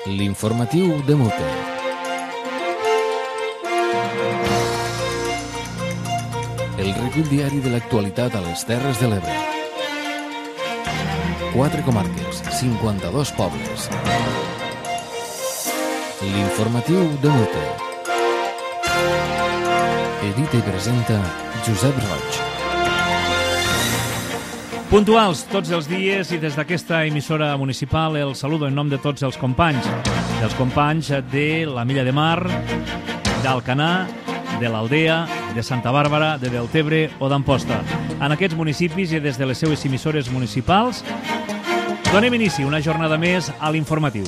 L'informatiu de Mute. El recull diari de l'actualitat a les Terres de l'Ebre. 4 comarques, 52 pobles. L'informatiu de Mute. Edita i presenta Josep Roig. Puntuals tots els dies i des d'aquesta emissora municipal el saludo en nom de tots els companys. Dels companys de la Milla de Mar, d'Alcanar, de l'Aldea, de Santa Bàrbara, de Deltebre o d'Amposta. En aquests municipis i des de les seues emissores municipals donem inici una jornada més a l'informatiu.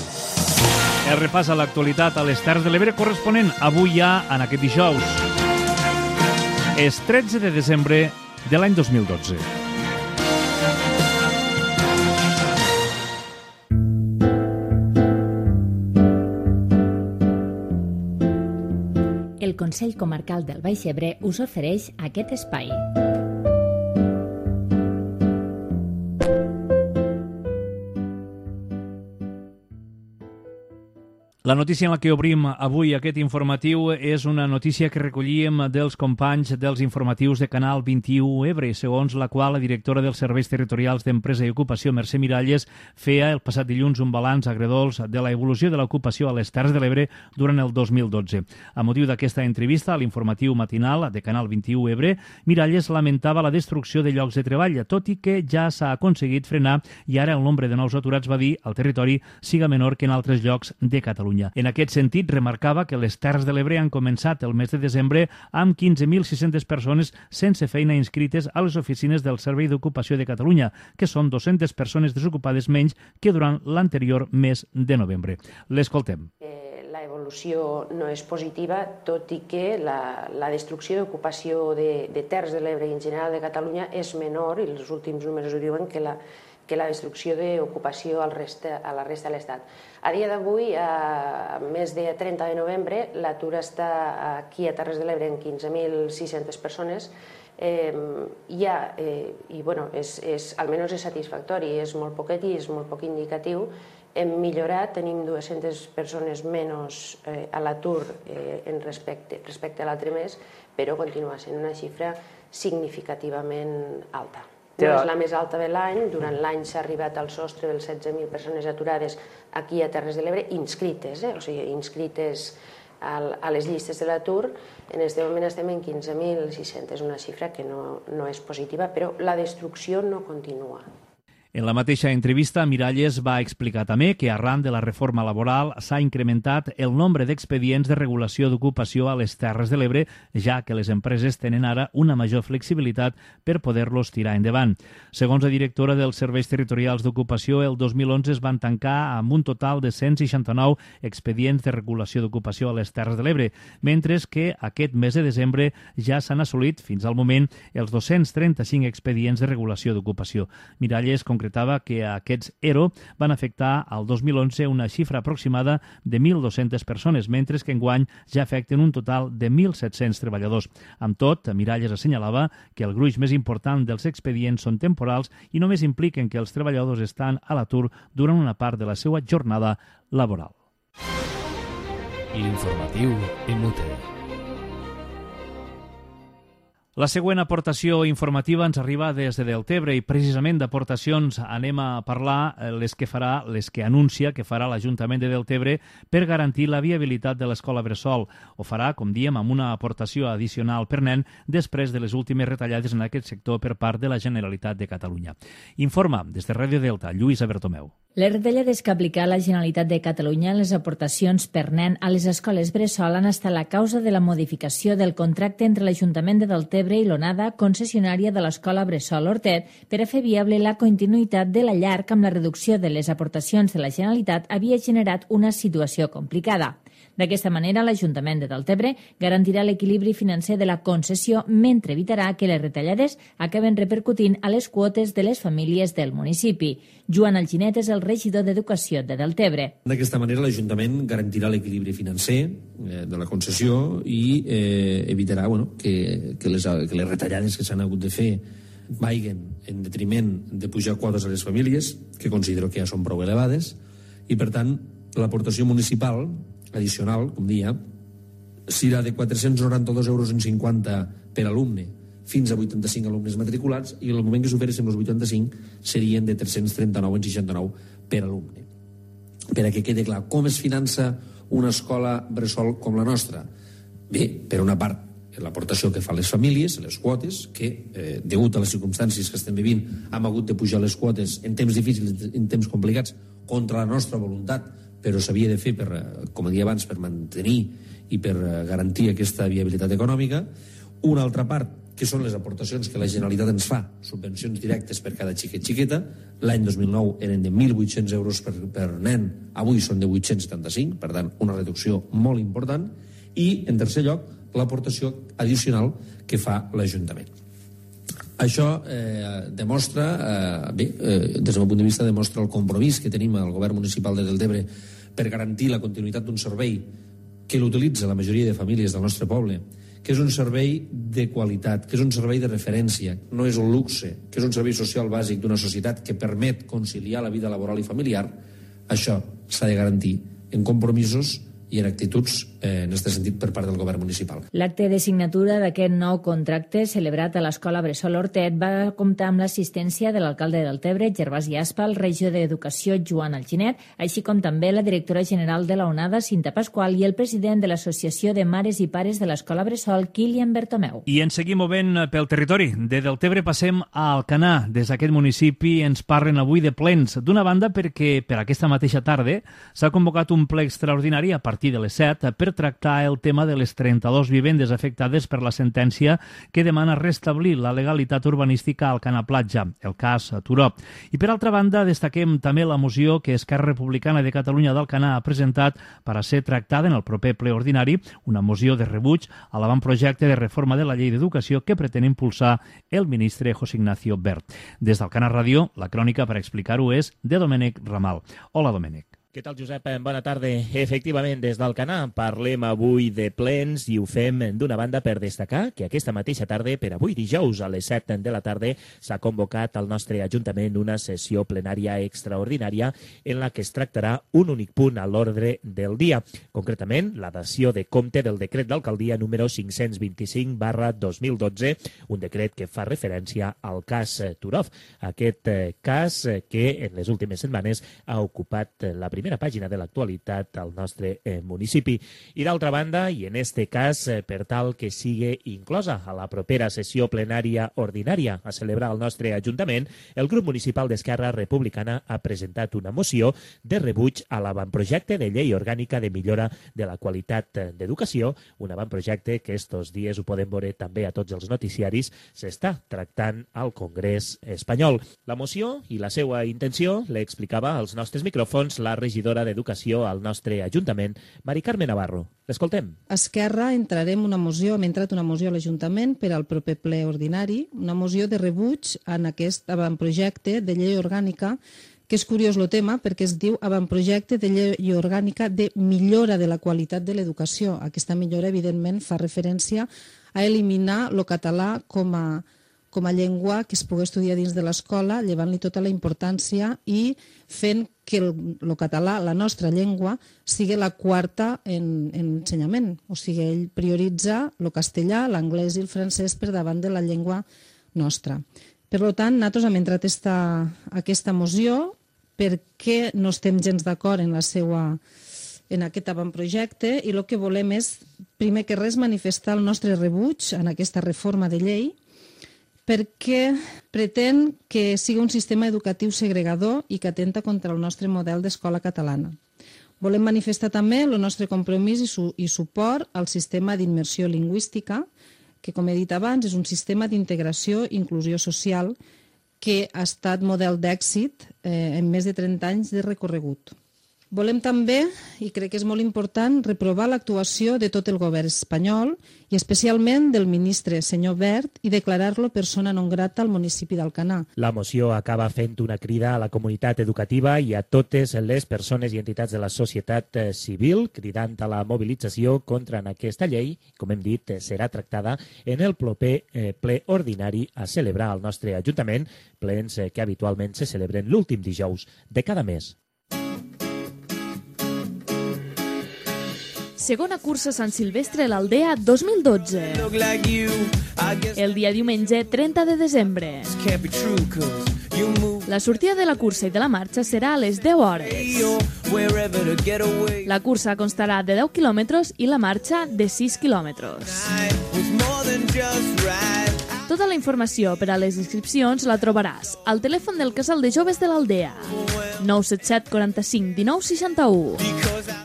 El repàs a l'actualitat a les Terres de l'Ebre corresponent avui ja en aquest dijous. És 13 de desembre de l'any 2012. El Consell Comarcal del Baix Ebre us ofereix aquest espai. La notícia en la que obrim avui aquest informatiu és una notícia que recollíem dels companys dels informatius de Canal 21 Ebre, segons la qual la directora dels Serveis Territorials d'Empresa i Ocupació, Mercè Miralles, feia el passat dilluns un balanç agredolç de la evolució de l'ocupació a les Terres de l'Ebre durant el 2012. A motiu d'aquesta entrevista a l'informatiu matinal de Canal 21 Ebre, Miralles lamentava la destrucció de llocs de treball, tot i que ja s'ha aconseguit frenar i ara el nombre de nous aturats, va dir, al territori siga menor que en altres llocs de Catalunya. En aquest sentit, remarcava que les Terres de l'Ebre han començat el mes de desembre amb 15.600 persones sense feina inscrites a les oficines del Servei d'Ocupació de Catalunya, que són 200 persones desocupades menys que durant l'anterior mes de novembre. L'escoltem. La evolució no és positiva, tot i que la destrucció d'ocupació de Terres de l'Ebre i en general de Catalunya és menor, i els últims números ho diuen, que la destrucció d'ocupació a la resta de l'Estat. A dia d'avui, a més de 30 de novembre, l'atur està aquí a Terres de l'Ebre en 15.600 persones, almenys és satisfactori, és molt poquet i és molt poc indicatiu. Hem millorat, tenim 200 persones menys a l'atur respecte a l'altre mes, però continua sent una xifra significativament alta. No és la més alta de l'any, durant l'any s'ha arribat al sostre de les 16.000 persones aturades aquí a Terres de l'Ebre, inscrites, o sigui, inscrites a les llistes de l'atur. En aquest moment estem en 15.600, una xifra que no és positiva, però la destrucció no continua. En la mateixa entrevista, Miralles va explicar també que arran de la reforma laboral s'ha incrementat el nombre d'expedients de regulació d'ocupació a les Terres de l'Ebre, ja que les empreses tenen ara una major flexibilitat per poder-los tirar endavant. Segons la directora dels Serveis Territorials d'Ocupació, el 2011 es van tancar amb un total de 169 expedients de regulació d'ocupació a les Terres de l'Ebre, mentre que aquest mes de desembre ja s'han assolit, fins al moment, els 235 expedients de regulació d'ocupació. Miralles concretava que aquests ERO van afectar al 2011 una xifra aproximada de 1.200 persones, mentre que enguany ja afecten un total de 1.700 treballadors. Amb tot, Miralles assenyalava que el gruix més important dels expedients són temporals i només impliquen que els treballadors estan a l'atur durant una part de la seva jornada laboral. L'informatiu en Mute. La següent aportació informativa ens arriba des de Deltebre i precisament d'aportacions anem a parlar les que anuncia que farà l'Ajuntament de Deltebre per garantir la viabilitat de l'escola bressol. Ho farà, com diem, amb una aportació addicional per nen després de les últimes retallades en aquest sector per part de la Generalitat de Catalunya. Informa des de Ràdio Delta, Lluïsa Bertomeu. Les retallades que ha aplicat la Generalitat de Catalunya en les aportacions per nen a les escoles bressol han estat la causa de la modificació del contracte entre l'Ajuntament de Deltebre i l'Onada, concessionària de l'escola bressol Hortet, per a fer viable la continuïtat de la llar que amb la reducció de les aportacions de la Generalitat havia generat una situació complicada. D'aquesta manera, l'Ajuntament de Deltebre garantirà l'equilibri financer de la concessió mentre evitarà que les retallades acaben repercutint a les quotes de les famílies del municipi. Joan Alginet és el regidor d'Educació de Deltebre. D'aquesta manera, l'Ajuntament garantirà l'equilibri financer de la concessió i evitarà que les retallades que s'han hagut de fer vagin en detriment de pujar quotes a les famílies, que considero que ja són prou elevades, i per tant l'aportació municipal addicional, com dia, serà de 492,50 euros per alumne fins a 85 alumnes matriculats, i en el moment que superessin els 85 serien de 339,69 per alumne. Per a que quede clar, com es finança una escola bressol com la nostra? Bé, per una part, l'aportació que fan les famílies, les quotes, que, degut a les circumstàncies que estem vivint, hem hagut de pujar les quotes en temps difícils, en temps complicats, contra la nostra voluntat, però s'havia de fer, com deia abans, per mantenir i per garantir aquesta viabilitat econòmica. Una altra part, que són les aportacions que la Generalitat ens fa, subvencions directes per cada xiqueta. L'any 2009 eren de 1.800 euros per nen, avui són de 875, per tant, una reducció molt important. I, en tercer lloc, l'aportació addicional que fa l'Ajuntament. Això demostra, des del meu punt de vista, demostra el compromís que tenim al govern municipal de Deltebre per garantir la continuïtat d'un servei que l'utilitza la majoria de famílies del nostre poble, que és un servei de qualitat, que és un servei de referència, no és un luxe, que és un servei social bàsic d'una societat que permet conciliar la vida laboral i familiar. Això s'ha de garantir en compromisos i en actituds en aquest sentit per part del govern municipal. L'acte de signatura d'aquest nou contracte celebrat a l'Escola Bressol Hortet va comptar amb l'assistència de l'alcalde de Deltebre, Gervasi Aspa, el regidor d'Educació, Joan Alginet, així com també la directora general de la UNADA, Cinta Pasqual, i el president de l'Associació de Mares i Pares de l'Escola Bressol, Kilian Bertomeu. I ens seguim movent pel territori. De Deltebre passem a Alcanar. Des d'aquest municipi ens parlen avui de plens. D'una banda, perquè per aquesta mateixa tarda s'ha convocat un ple extraordinari a partir de les 7 per tractar el tema de les 32 vivendes afectades per la sentència que demana restablir la legalitat urbanística al Alcanar Platja, el cas Turó. I per altra banda, destaquem també la moció que Esquerra Republicana de Catalunya d'Alcanar ha presentat per a ser tractada en el proper ple ordinari, una moció de rebuig a l'avantprojecte de reforma de la llei d'educació que pretén impulsar el ministre José Ignacio Wert. Des d'Alcanar Ràdio, la crònica per explicar-ho és de Domènec Ramal. Hola, Domènec. Què tal, Josep? Bona tarda. Efectivament, des d'Alcanar parlem avui de plens i ho fem d'una banda per destacar que aquesta mateixa tarda, per avui dijous a les 7 de la tarda, s'ha convocat al nostre Ajuntament una sessió plenària extraordinària en la que es tractarà un únic punt a l'ordre del dia. Concretament, la dació de compte del decret d'alcaldia número 525/2012, un decret que fa referència al cas Turó. Aquest cas que en les últimes setmanes ha ocupat la primera pàgina de l'actualitat al nostre municipi. I d'altra banda, i en este cas, per tal que sigui inclosa a la propera sessió plenària ordinària a celebrar al nostre Ajuntament, el grup municipal d'Esquerra Republicana ha presentat una moció de rebuig a l'avantprojecte de llei orgànica de millora de la qualitat d'educació, un avantprojecte que estos dies ho podem veure també a tots els noticiaris, s'està tractant al Congrés espanyol. La moció i la seva intenció l'explicava als nostres micròfons la regidora d'Educació al nostre Ajuntament, Mari Carme Navarro. L'escoltem. Esquerra hem entrat una moció a l'Ajuntament per al proper ple ordinari, una moció de rebuig en aquest avantprojecte de llei orgànica, que és curiós el tema perquè es diu avantprojecte de llei orgànica de millora de la qualitat de l'educació. Aquesta millora, evidentment, fa referència a eliminar el català com a llengua que es pugui estudiar dins de l'escola, llevant-li tota la importància i fent que el català, la nostra llengua, sigui la quarta en ensenyament. O sigui, ell prioritza el castellà, l'anglès i el francès per davant de la llengua nostra. Per tant, nosaltres hem entrat aquesta moció perquè no estem gens d'acord en aquest avantprojecte i el que volem és, primer que res, manifestar el nostre rebuig en aquesta reforma de llei perquè pretén que sigui un sistema educatiu segregador i que atenta contra el nostre model d'escola catalana. Volem manifestar també el nostre compromís i suport al sistema d'immersió lingüística, que, com he dit abans, és un sistema d'integració i inclusió social que ha estat model d'èxit en més de 30 anys de recorregut. Volem també, i crec que és molt important, reprovar l'actuació de tot el govern espanyol i especialment del ministre, senyor Wert, i declarar-lo persona non grata al municipi d'Alcanar. La moció acaba fent una crida a la comunitat educativa i a totes les persones i entitats de la societat civil, cridant a la mobilització contra aquesta llei. Com hem dit, serà tractada en el proper ple ordinari a celebrar al nostre Ajuntament, plens que habitualment se celebren l'últim dijous de cada mes. segona cursa Sant Silvestre a l'Aldea 2012. El dia diumenge 30 de desembre. La sortida de la cursa i de la marxa serà a les 10 hores. La cursa constarà de 10 quilòmetres i la marxa de 6 quilòmetres. Tota la informació per a les inscripcions la trobaràs al telèfon del Casal de Joves de l'Aldea. 977 45 19 61.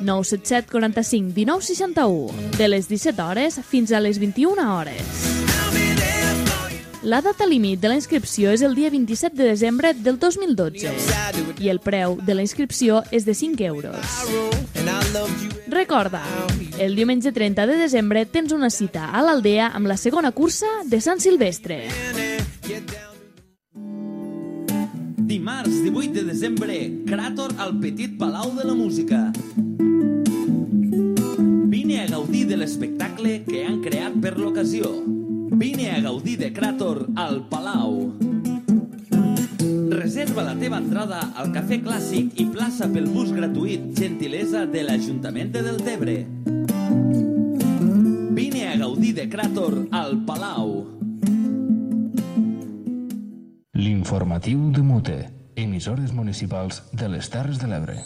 977 45 19 61. De les 17 hores fins a les 21 hores. La data límit de la inscripció és el dia 27 de desembre del 2012 i el preu de la inscripció és de 5 euros. Recorda, el diumenge 30 de desembre tens una cita a l'Aldea amb la segona cursa de Sant Silvestre. Dimarts 18 de desembre, Cràtor al Petit Palau de la Música. Vine a gaudir de l'espectacle que han creat per l'ocasió. Vine a gaudir de Cràtor al Palau. Reserva la teva entrada al Cafè Clàssic i plaça pel bus gratuït, gentilesa de l'Ajuntament de Deltebre. Vine a gaudir de Cràtor al Palau. L'informatiu de Mute, emissores municipals de les Terres de l'Ebre.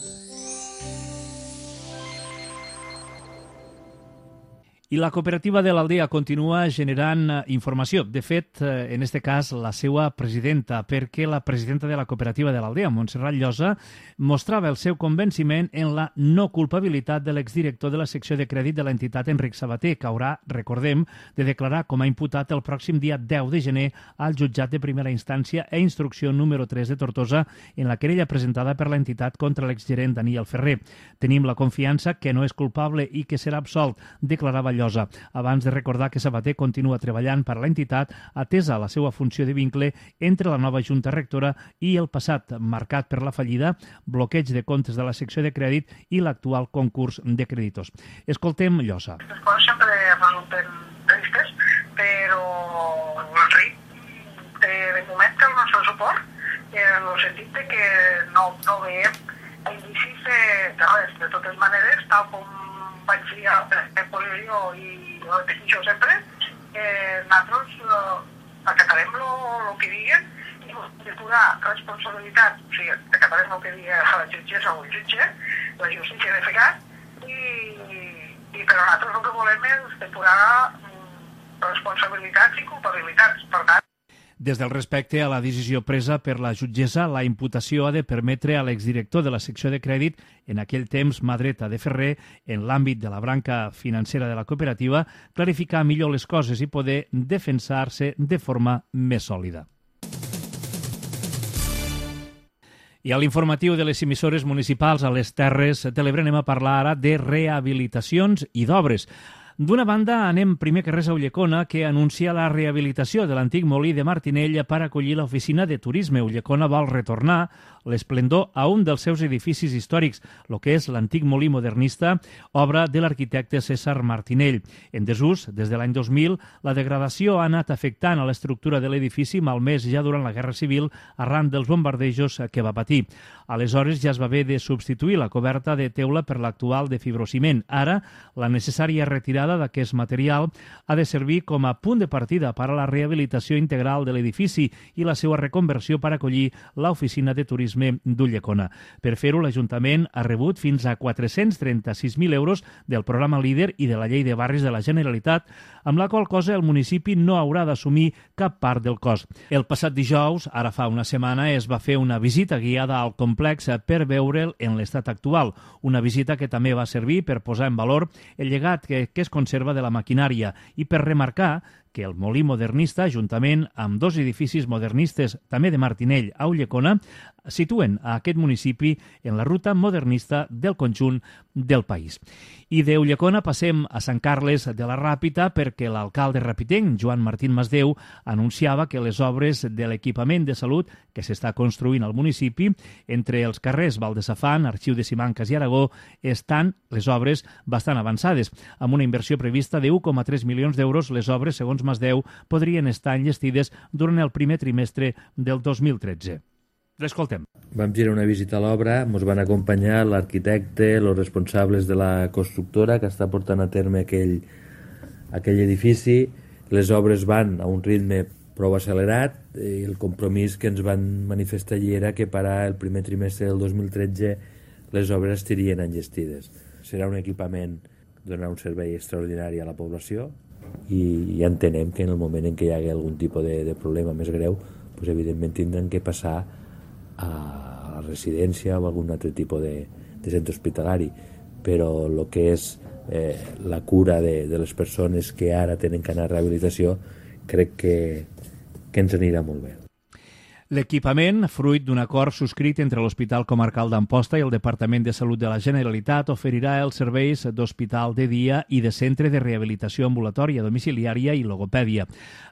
I la cooperativa de l'Aldea continua generant informació. De fet, en aquest cas, la seva presidenta, perquè la presidenta de la cooperativa de l'Aldea, Montserrat Llosa, mostrava el seu convenciment en la no culpabilitat de l'exdirector de la secció de crèdit de l'entitat, Enric Sabater, que haurà, recordem, de declarar com a imputat el pròxim dia 10 de gener al jutjat de primera instància e instrucció número 3 de Tortosa en la querella presentada per l'entitat contra l'exgerent Daniel Ferrer. Tenim la confiança que no és culpable i que serà absolt, declarava Llosa, abans de recordar que Sabater continua treballant per a l'entitat atesa la seva funció de vincle entre la nova Junta Rectora i el passat marcat per la fallida, bloqueig de comptes de la secció de crèdit i l'actual concurs de creditors. Escoltem Llosa. Les coses sempre resulten tristes, però l'Enric té de moment el nostre suport en el sentit de que no veiem indicis de res. De totes maneres, tal com vaig dir a la posició i ho repeteixo sempre, nosaltres acatarem el que diguen i depurar responsabilitat, o sigui, acatarem el que digui la jutgessa o el jutge, la justícia de fecat, i però nosaltres el que volem és depurar responsabilitats i culpabilitats. Per tant, des del respecte a la decisió presa per la jutgessa, la imputació ha de permetre a l'exdirector de la secció de crèdit, en aquell temps mà dreta de Ferrer, en l'àmbit de la branca financera de la cooperativa, clarificar millor les coses i poder defensar-se de forma més sòlida. I a l'informatiu de les emissores municipals a les Terres de l'Ebre anem a parlar ara de rehabilitacions i d'obres. D'una banda, anem primer que res a Ulldecona, que anuncia la rehabilitació de l'antic molí de Martinell per acollir l'oficina de turisme. Ulldecona vol retornar l'esplendor a un dels seus edificis històrics, el que és l'antic molí modernista, obra de l'arquitecte César Martinell. En desús, des de l'any 2000, la degradació ha anat afectant a l'estructura de l'edifici, malmès ja durant la Guerra Civil, arran dels bombardejos que va patir. Aleshores ja es va haver de substituir la coberta de teula per l'actual de fibrociment. Ara, la necessària retirada d'aquest material ha de servir com a punt de partida per a la rehabilitació integral de l'edifici i la seva reconversió per acollir l'oficina de turisme d'Ulldecona. Per fer-ho, l'Ajuntament ha rebut fins a 436.000 euros del programa LÍDER i de la Llei de Barris de la Generalitat, amb la qual cosa el municipi no haurà d'assumir cap part del cost. El passat dijous, ara fa una setmana, es va fer una visita guiada al complex per veure'l en l'estat actual. Una visita que també va servir per posar en valor el llegat que es conserva de la maquinària i per remarcar que el molí modernista, juntament amb dos edificis modernistes, també de Martinell, a Ulldecona, situen a aquest municipi en la ruta modernista del conjunt del país. I de Ulldecona passem a Sant Carles de la Ràpita perquè l'alcalde rapitenc, Joan Martín Masdeu, anunciava que les obres de l'equipament de salut que s'està construint al municipi, entre els carrers Val de Safant, Arxiu de Simancas i Aragó, estan les obres bastant avançades. Amb una inversió prevista de 1,3 milions d'euros, les obres, segons Masdeu, podrien estar enllestides durant el primer trimestre del 2013. L'escoltem. Vam girar una visita a l'obra, ens van acompanyar l'arquitecte, els responsables de la constructora que està portant a terme aquell edifici. Les obres van a un ritme prou accelerat i el compromís que ens van manifestar allí era que per al primer trimestre del 2013 les obres estarien enllestides. Serà un equipament que donarà un servei extraordinari a la població i ja entenem que en el moment en què hi hagi algun tipus de problema més greu, doncs evidentment tindran que passar a la residència o algun altre tipus de centre hospitalari, però el que és la cura de les persones que ara tenen que anar a rehabilitació crec que ens anirà molt bé. L'equipament, fruit d'un acord subscrit entre l'Hospital Comarcal d'Amposta i el Departament de Salut de la Generalitat, oferirà els serveis d'hospital de dia i de centre de rehabilitació ambulatòria, domiciliària i logopèdia.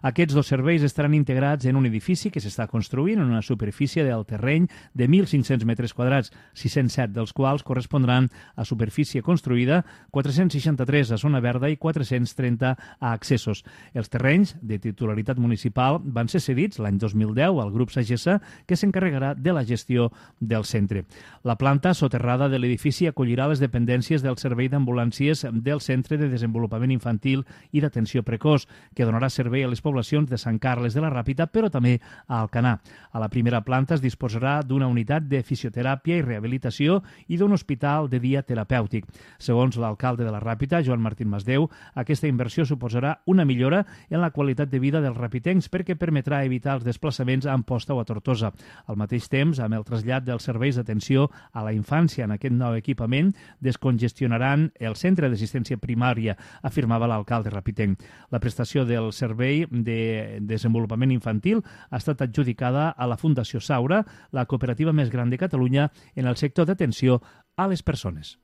Aquests dos serveis estaran integrats en un edifici que s'està construint en una superfície del terreny de 1.500 metres quadrats, 607 dels quals correspondran a superfície construïda, 463 a zona verda i 430 a accessos. Els terrenys de titularitat municipal van ser cedits l'any 2010 al grup Sagessa, que s'encarregarà de la gestió del centre. La planta soterrada de l'edifici acollirà les dependències del Servei d'Ambulàncies del Centre de Desenvolupament Infantil i d'Atenció Precoç, que donarà servei a les poblacions de Sant Carles de la Ràpita, però també a Alcanar. A la primera planta es disposarà d'una unitat de fisioteràpia i rehabilitació i d'un hospital de dia terapèutic. Segons l'alcalde de la Ràpita, Joan Martín Masdeu, aquesta inversió suposarà una millora en la qualitat de vida dels rapitencs perquè permetrà evitar els desplaçaments a Amposta o a Tortosa. Al mateix temps, amb el trasllat dels serveis d'atenció a la infància en aquest nou equipament, descongestionaran el centre d'assistència primària, afirmava l'alcalde rapitenc. La prestació del servei de desenvolupament infantil ha estat adjudicada a la Fundació Saura, la cooperativa més gran de Catalunya en el sector d'atenció a les persones.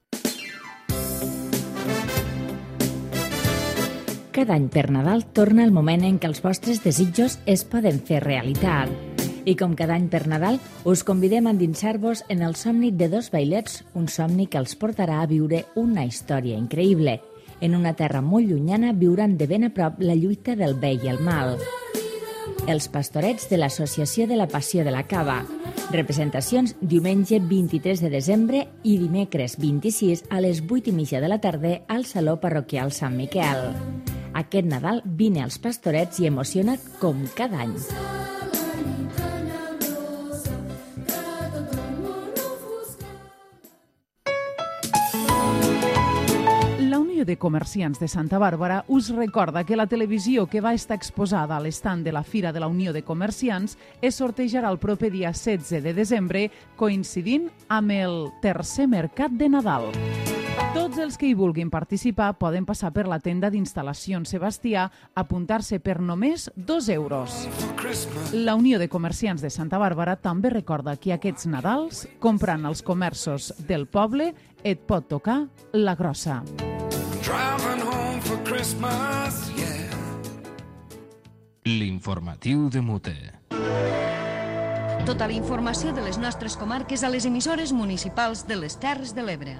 Cada any per Nadal torna el moment en què els vostres desitjos es poden fer realitat. I com cada any per Nadal, us convidem a endinsar-vos en el somni de dos vailets, un somni que els portarà a viure una història increïble. En una terra molt llunyana viuran de ben a prop la lluita del bé i el mal. Els pastorets de l'Associació de la Passió de la Cava. Representacions diumenge 23 de desembre i dimecres 26 a les 8:30 de la tarda al Saló Parroquial Sant Miquel. Aquest Nadal vine als pastorets i emociona't com cada any. de Comerciants de Santa Bàrbara us recorda que la televisió que va estar exposada a l'estand de la Fira de la Unió de Comerciants es sortejarà el proper dia 16 de desembre, coincidint amb el tercer mercat de Nadal. Tots els que hi vulguin participar poden passar per la tenda d'instal·lacions Sebastià, apuntar-se per només 2 euros. La Unió de Comerciants de Santa Bàrbara també recorda que aquests Nadals, comprant als comerços del poble, et pot tocar la grossa. L'informatiu de Mute. Tota la informació de les nostres comarques a les emissores municipals de les Terres de l'Ebre.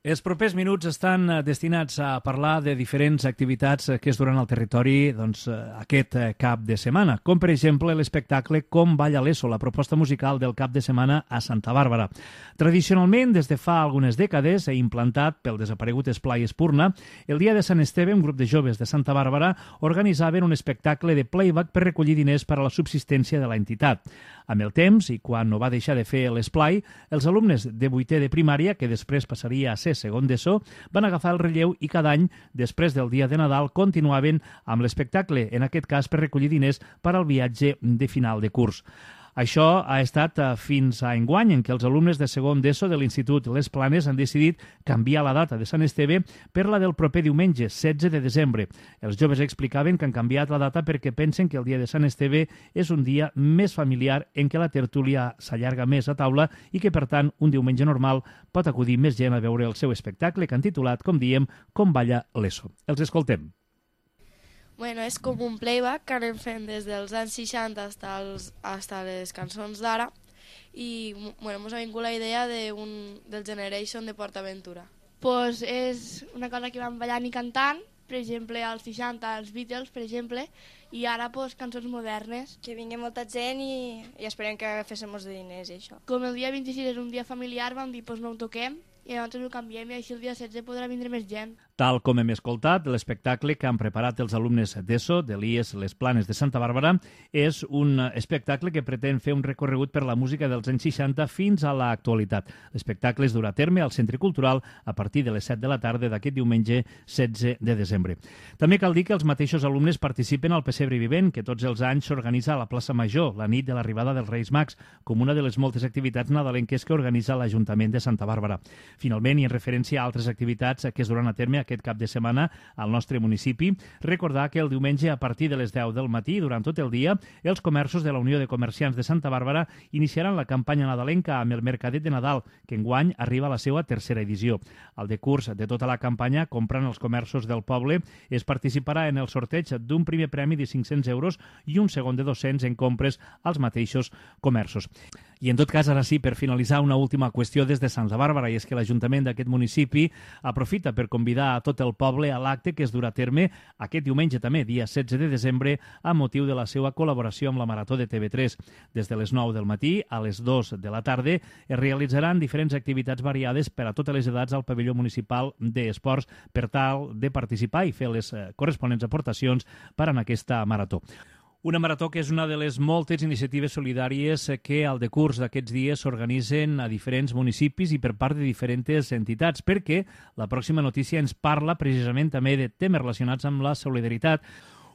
Els propers minuts estan destinats a parlar de diferents activitats que es duran al territori aquest cap de setmana, com per exemple l'espectacle Com balla l'ESO, la proposta musical del cap de setmana a Santa Bàrbara. Tradicionalment, des de fa algunes dècades, implantat pel desaparegut Esplai Espurna, el dia de Sant Esteve, un grup de joves de Santa Bàrbara organitzaven un espectacle de playback per recollir diners per a la subsistència de l'entitat. Amb el temps, i quan no va deixar de fer l'esplai, els alumnes de 8è de primària, que després passaria a ser segon d'ESO, van agafar el relleu i cada any, després del dia de Nadal, continuaven amb l'espectacle, en aquest cas per recollir diners per al viatge de final de curs. Això ha estat fins a enguany, en què els alumnes de segon d'ESO de l'Institut Les Planes han decidit canviar la data de Sant Esteve per la del proper diumenge, 16 de desembre. Els joves explicaven que han canviat la data perquè pensen que el dia de Sant Esteve és un dia més familiar en què la tertúlia s'allarga més a taula i que, per tant, un diumenge normal pot acudir més gent a veure el seu espectacle que han titulat, com diem, Com balla l'ESO. Els escoltem. Bueno, és com un playback que anem fent des dels anys 60 hasta les cançons d'ara i bueno, ens ha vingut la idea del Generation de PortAventura. Pues és una cosa que vam ballant i cantant per exemple, als 60, els Beatles, per exemple, i ara pues, cançons modernes. Que vingui molta gent i esperem que féssim molts diners i això. Com el dia 26 és un dia familiar, vam dir pues, no ho toquem, i llavors ho canviem i així el dia 16 podrà vindre més gent. Tal com hem escoltat, l'espectacle que han preparat els alumnes d'ESO, de l'IES Les Planes de Santa Bàrbara, és un espectacle que pretén fer un recorregut per la música dels anys 60 fins a l'actualitat. L'espectacle es durà a terme al Centre Cultural a partir de les 7 de la tarda d'aquest diumenge 16 de desembre. També cal dir que els mateixos alumnes participen al Pessebre Vivent, que tots els anys s'organitza a la plaça Major, la nit de l'arribada dels Reis Mags, com una de les moltes activitats nadalenques que organitza l'Ajuntament de Santa Bàrbara. Finalment, i en referència a altres activitats que es duran a terme aquest cap de setmana al nostre municipi, recordar que el diumenge a partir de les 10 del matí, durant tot el dia, els comerços de la Unió de Comerciants de Santa Bàrbara iniciaran la campanya nadalenca amb el Mercadet de Nadal, que enguany arriba a la seva tercera edició. Al decurs de tota la campanya, comprant els comerços del poble, es participarà en el sorteig d'un primer premi de 500 euros i un segon de 200 en compres als mateixos comerços. I en tot cas, ara sí, per finalitzar, una última qüestió des de Santa Bàrbara, i és que l'Ajuntament d'aquest municipi aprofita per convidar a tot el poble a l'acte que es durà a terme aquest diumenge també, dia 16 de desembre, a motiu de la seva col·laboració amb la Marató de TV3. Des de les 9 del matí a les 2 de la tarda es realitzaran diferents activitats variades per a totes les edats al pavelló municipal d'esports per tal de participar i fer les corresponents aportacions per a aquesta marató. Una marató que és una de les moltes iniciatives solidàries que al decurs d'aquests dies s'organitzen a diferents municipis i per part de diferents entitats, perquè la pròxima notícia ens parla precisament també de temes relacionats amb la solidaritat.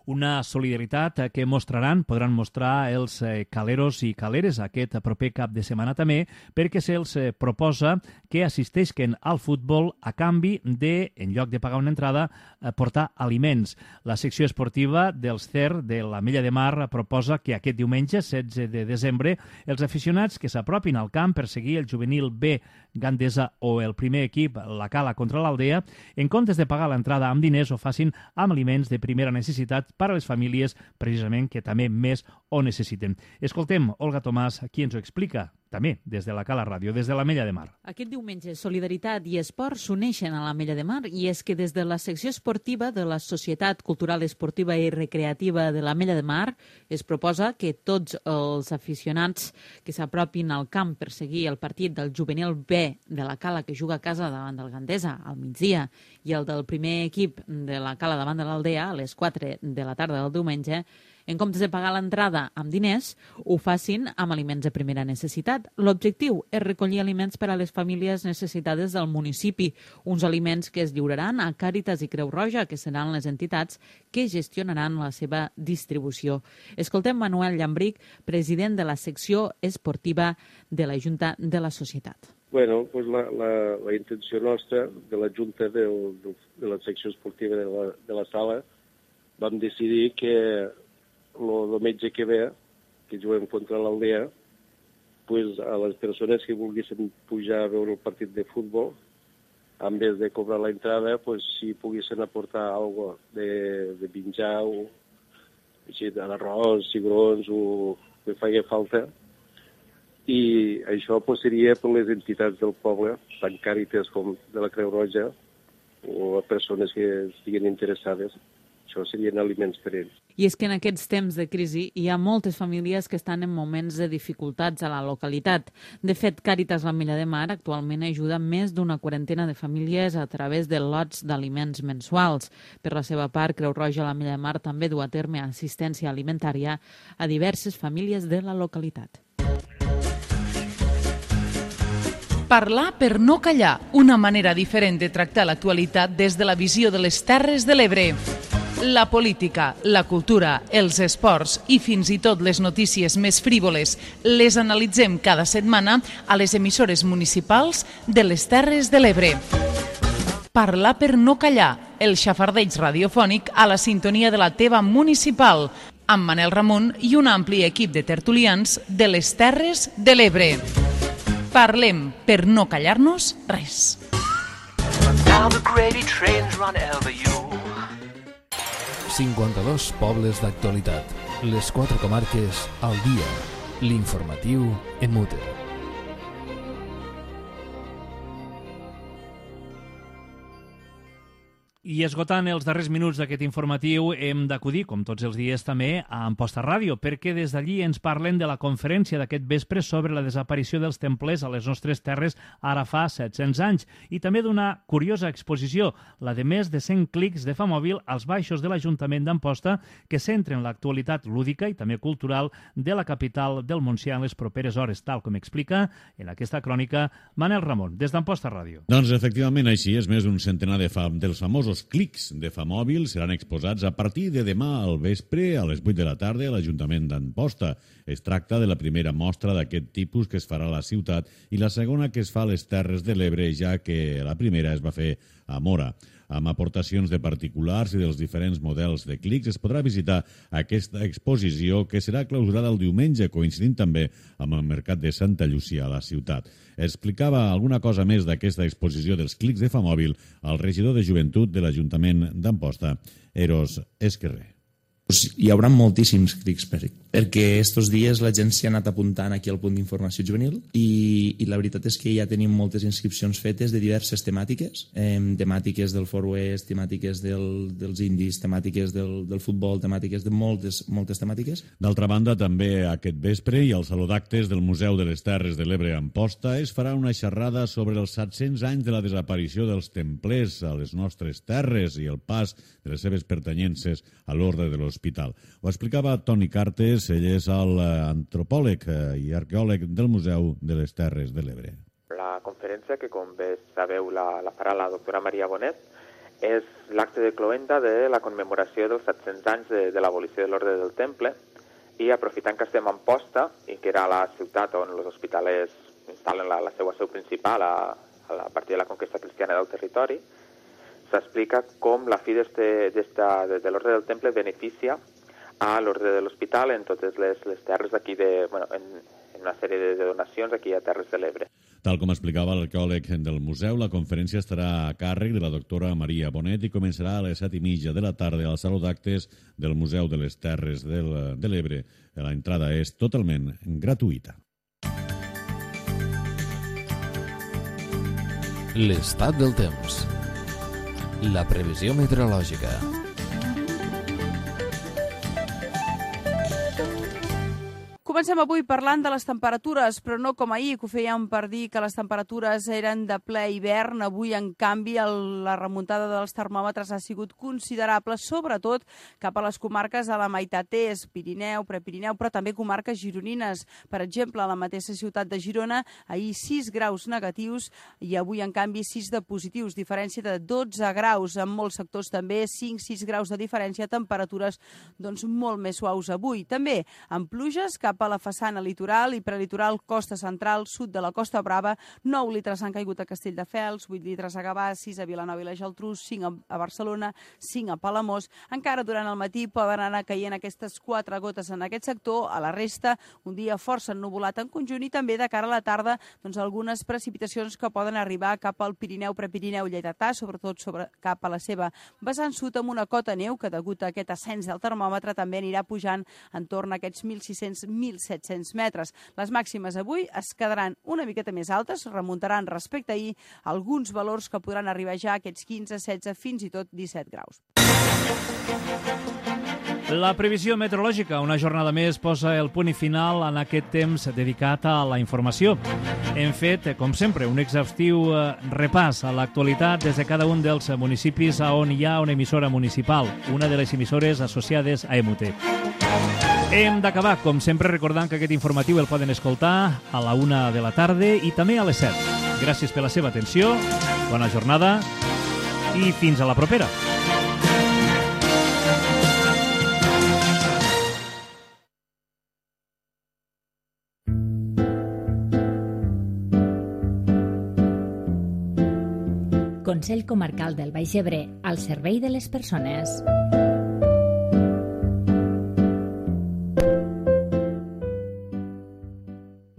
Una solidaritat que podran mostrar els caleros i caleres aquest proper cap de setmana també, perquè se'ls proposa que assisteixen al futbol a canvi de, en lloc de pagar una entrada, portar aliments. La secció esportiva dels CER de l'Ametlla de Mar proposa que aquest diumenge, 16 de desembre, els aficionats que s'apropin al camp per seguir el juvenil B Gandesa o el primer equip, la Cala contra l'Aldea, en comptes de pagar l'entrada amb diners, ho facin amb aliments de primera necessitat per a les famílies, precisament, que també més ho necessiten. Escoltem Olga Tomàs, qui ens ho explica, també des de la Cala Ràdio, des de l'Ametlla de Mar. Aquest diumenge, solidaritat i esport s'uneixen a l'Ametlla de Mar, i és que des de la secció esportiva de la Societat Cultural Esportiva i Recreativa de l'Ametlla de Mar es proposa que tots els aficionats que s'apropin al camp per seguir el partit del juvenil B de la Cala, que juga a casa davant del Gandesa al migdia, i el del primer equip de la Cala davant de l'Aldea a les 4 de la tarda del diumenge, en comptes de pagar l'entrada amb diners, ho facin amb aliments de primera necessitat. L'objectiu és recollir aliments per a les famílies necessitades del municipi, uns aliments que es lliuraran a Càritas i Creu Roja, que seran les entitats que gestionaran la seva distribució. Escoltem Manuel Llambric, president de la secció esportiva de la Junta de la Societat. Bueno, pues la intenció nostra de la Junta de la secció esportiva de la sala, vam decidir que el metge que ve, que juguem contra l'Aldea, pues a les persones que volguessin pujar a veure el partit de futbol, en vez de cobrar la entrada, pues si poguessin aportar algo de menjar, o d'arròs, cigrons, o que faci falta. I això pues, seria per les entitats del poble, tant Càritas com de la Creu Roja, o a persones que estiguin interessades. Això serien aliments per ells. I és que en aquests temps de crisi hi ha moltes famílies que estan en moments de dificultats a la localitat. De fet, Càritas l'Ametlla de Mar actualment ajuda més d'una quarantena de famílies a través de lots d'aliments mensuals. Per la seva part, Creu Roja l'Ametlla de Mar també du a terme assistència alimentària a diverses famílies de la localitat. Parlar per no callar, una manera diferent de tractar l'actualitat des de la visió de les Terres de l'Ebre. La política, la cultura, els esports i fins i tot les notícies més frívoles les analitzem cada setmana a les emissores municipals de les Terres de l'Ebre. Parlar per no callar, el xafardeig radiofònic a la sintonia de la teva municipal, amb Manel Ramon i un ampli equip de tertulians de les Terres de l'Ebre. Parlem per no callar-nos res. 52 pobles d'actualitat. Les 4 comarques al dia. L'informatiu en mute. I esgotant els darrers minuts d'aquest informatiu hem d'acudir, com tots els dies també, a Amposta Ràdio, perquè des d'allí ens parlen de la conferència d'aquest vespre sobre la desaparició dels templers a les nostres terres ara fa 700 anys i també d'una curiosa exposició, la de més de 100 clics de Famòbil als baixos de l'Ajuntament d'Amposta que centren l'actualitat lúdica i també cultural de la capital del Montsià en les properes hores, tal com explica en aquesta crònica Manel Ramon, des d'Amposta Ràdio. Doncs efectivament així és, més d'un centenar dels famosos clics de Famòbil seran exposats a partir de demà al vespre a les 8 de la tarda a l'Ajuntament d'Amposta. Es tracta de la primera mostra d'aquest tipus que es farà a la ciutat i la segona que es fa a les Terres de l'Ebre, ja que la primera es va fer a Móra. Amb aportacions de particulars i dels diferents models de clics es podrà visitar aquesta exposició que serà clausurada el diumenge, coincidint també amb el Mercat de Santa Llúcia a la ciutat. Explicava alguna cosa més d'aquesta exposició dels clics de Famòbil el regidor de Joventut de l'Ajuntament d'Amposta, Eros Esquerrer. Hi haurà moltíssims clics perquè estos dies la gent s'hi ha anat apuntant aquí al punt d'informació juvenil i la veritat és que ja tenim moltes inscripcions fetes de diverses temàtiques, temàtiques del Far West, temàtiques dels indis, temàtiques del futbol, temàtiques de moltes temàtiques. D'altra banda, també aquest vespre i al Saló d'Actes del Museu de les Terres de l'Ebre a Amposta es farà una xerrada sobre els 700 anys de la desaparició dels templers a les nostres terres i el pas de les seves pertanyences a l'ordre de l'Hospital. Ho explicava Toni Cartes, ell és l'antropòleg i arqueòleg del Museu de les Terres de l'Ebre. La conferència, que com bé sabeu la farà la doctora Maria Bonet, és l'acte de cloenda de la commemoració dels 700 anys de l'abolició de l'Ordre del Temple i aprofitant que estem a Amposta i que era la ciutat on els hospitalers instal·len la seva seu principal a partir de la conquesta cristiana del territori, s'explica com la fi de l'Ordre del Temple beneficia a l'Ordre de l'Hospital en totes les terres d'aquí, en una sèrie de donacions aquí a Terres de l'Ebre. Tal com explicava l'arqueòleg del museu, la conferència estarà a càrrec de la doctora Maria Bonet i començarà a les 7:30 de la tarda al Saló d'Actes del Museu de les Terres de l'Ebre. La entrada és totalment gratuïta. L'estat del temps. La previsió meteorològica. Comencem avui parlant de les temperatures, però no com ahir, que ho fèiem per dir que les temperatures eren de ple hivern. Avui, en canvi, la remuntada dels termòmetres ha sigut considerable, sobretot cap a les comarques de la meitat est, Pirineu, Prepirineu, però també comarques gironines. Per exemple, a la mateixa ciutat de Girona, ahir 6 graus negatius i avui, en canvi, 6 de positius, diferència de 12 graus. En molts sectors també 5-6 graus de diferència, temperatures molt més suaus avui. També amb pluges cap a la façana litoral i prelitoral, costa central, sud de la Costa Brava. 9 litres han caigut a Castelldefels, 8 litres a Gavà, 6 a Vilanova i la Geltrú, 5 a Barcelona, 5 a Palamós. Encara durant el matí poden anar caient aquestes 4 gotes en aquest sector. A la resta, un dia força ennuvolat en conjunt i també de cara a la tarda algunes precipitacions que poden arribar cap al Pirineu, Prepirineu, Lleidatà, sobretot cap a la seva vessant sud, amb una cota neu que degut a aquest ascens del termòmetre també anirà pujant entorn a aquests 1.600-1.700 metres. Les màximes avui es quedaran una miqueta més altes, remuntaran respecte a ahir alguns valors que podran arribar ja a aquests 15, 16, fins i tot 17 graus. La previsió meteorològica, una jornada més, posa el punt i final en aquest temps dedicat a la informació. Hem fet, com sempre, un exhaustiu repàs a l'actualitat des de cada un dels municipis on hi ha una emissora municipal, una de les emissores associades a EMUT. Hem d'acabar, com sempre, recordant que aquest informatiu el poden escoltar a la 1 de la tarda i també a les 7. Gràcies per la seva atenció, bona jornada i fins a la propera. Consell Comarcal del Baix Ebre, al servei de les persones.